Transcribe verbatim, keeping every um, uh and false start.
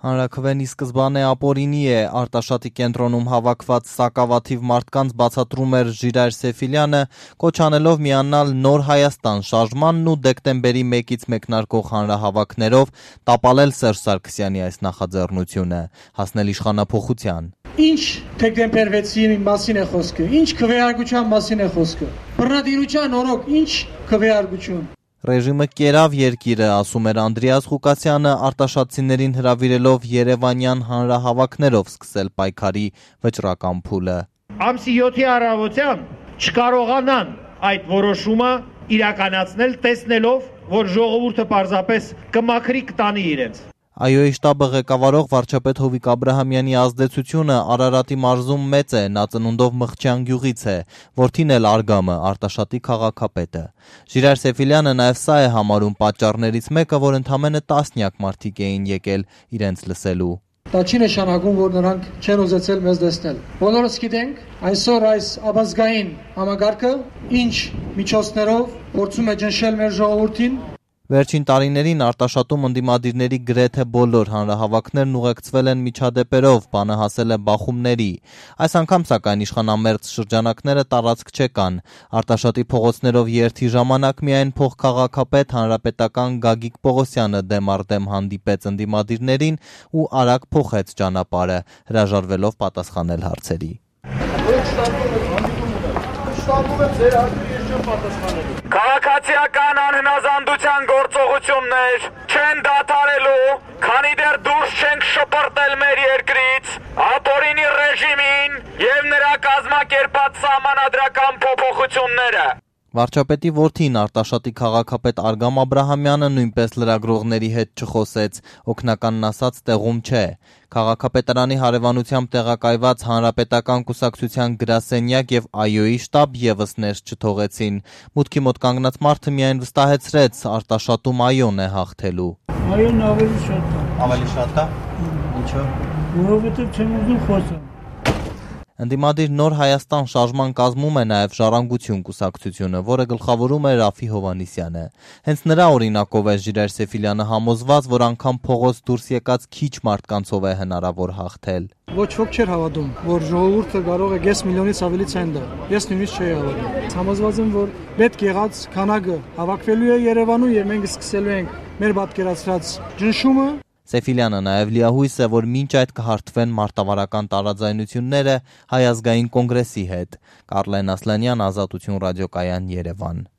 Հանրաքվեն ի սկզբանե ապօրինի է, Արտաշատի կենտրոնում հավաքված սակավաթիվ մարդկանց բացատրում էր Ժիրայր Սեֆիլյանը, կոչ անելով միանալ Նոր Հայաստան շարժմանն ու դեկտեմբերի մեկից մեկնարկող հանրահավաքներով տապալել Սերժ Սարգսյանի այս նախաձեռնությունը, հասնել իշխանափոխության։ Ինչ դեկտեմբերվեցի մասին է խոսքը, ինչ քվեարկության մասին է խոսքը, բռնատիրության օրոք ինչ քվեարկություն։ Ռեժիմը կերավ երկիրը, ասում էր Անդրեաս Ղուկասյանը, արտաշատցիներին հրավիրելով երևանյան հանրահավաքներով սկսել պայքարի վճռական փուլը։ Ամսի յոթի առավոտյան չկարողանան այդ որոշումը իրականացնել, տեսնելով, որ ժողովուրդը պարզապես կմաքրի կտանի իրենց։ ԱՅՈ-ի շտաբը ղեկավարող վարչապետ Հովիկ Աբրահամյանի ազդեցությունը Արարատի մարզում մեծ է, նա ծնունդով Մղճյան գյուղից է, որդին էլ Արգամը, Արտաշատի քաղաքապետը։ Ժիրայր Սեֆիլյանը նաև սա է համարում պատճառներից մեկը, որ ընդամենը տասնյակ մարդիկ էին եկել իրենց լսելու։ Դա չի նշանակում, որ նրանք չեն ուզեցել մեզ տեսնել։ Բոլորս գիտենք, այսօր այս ապազգային համագարկը ինչ միջոցներով փորձում է ճնշել մեր ժողովրդին։ Վերջին տարիներին Արտաշատում ընդդիմադիրների գրեթե բոլոր հանրահավաքներն ուղեկցվել են միջադեպերով, բանը հասել է բախումների։ Այս անգամ սակայն իշխանամերձ շրջանակները տարածք չեկան։ Արտաշատի փողոցներով երթի ժամանակ միայն փոխքաղաքապետ հանրապետական Գագիկ Պողոսյանը դեմ առ դեմ հանդիպեց ընդդիմադիրներին ու արագ փոխեց ճանապարհը, հրաժարվելով պատասխանել հարցերի։ Քաղաքացիական անհնազանդության գործողություններ չեն դադարելու, քանի դեռ դուրս չենք շպրտել մեր երկրից, ապօրինի ռեժիմին եւ նրա կազմակերպած սահմանադրական փոփոխությունները։ Վարչապետի որդին Արտաշատի քաղաքապետ Արգամ Աբրահամյանը նույնպես լրագրողների հետ չխոսեց, օգնականն ասած տեղում չէ։ Քաղաքապետարանի հարևանությամբ տեղակայված Հանրապետական կուսակցության գրասենյակ եւ ԱՅՈ-ի շտաբ եւս ներս չթողեցին։ Մուտքի մոտ կանգնած մարդը միայն վստահեցրեց, Արտաշատում ԱՅՈ-ն է հաղթելու։ ԱՅՈ-ն ավելի շատ է։ Ավելի շատ է։ Ինչո՞։ Որովհետեւ չեմ ուզում խոսել։ Ընդդիմադիր Նոր Հայաստան շարժման կազմում է նաև Ժառանգություն կուսակցությունը, որը գլխավորում է Ռաֆի Հովհաննիսյանը։ Հենց նրա օրինակով է Ժիրայր Սեֆիլյանը համոզված, որ անգամ փողոց դուրս եկած քիչ մարդկանցով է հնարավոր հաղթել։ Ոչ ոք չէր հավատում, որ ժողովուրդը կարող է կես միլիոնից ավելի ցենտ դա։ Ես նույնիսկ չէի հավատում։ Համոզված եմ, որ պետք եղած քանակը հավաքվելու է Երևանում եւ մենք սկսելու ենք մեր պատկերացրած ճնշումը։ Սեֆիլյանը նաև լիահույս է, որ մինչ այդ կհարթվեն մարտավարական տարաձայնությունները Հայ ազգային կոնգրեսի հետ։ Կարլեն Ասլանյան, Ազատություն ռադիոկայան, Երևան։